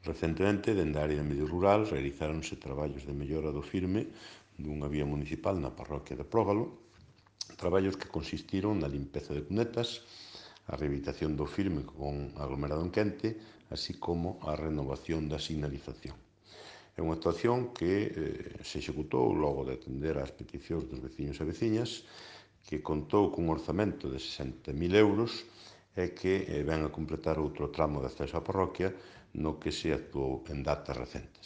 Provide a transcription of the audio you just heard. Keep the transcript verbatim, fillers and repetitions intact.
Recentemente, dende a área de medio rural, realizáronse traballos de mellora do firme dunha vía municipal na parroquia de Prógalo, traballos que consistiron na limpeza de cunetas, a rehabilitación do firme con aglomerado en quente, así como a renovación da sinalización. É unha actuación que eh, se executou logo de atender ás peticións dos veciños e veciñas, que contou cun orzamento de sesenta mil euros e que eh, ven a completar outro tramo de acceso á parroquia no que se actuou en datas recentes.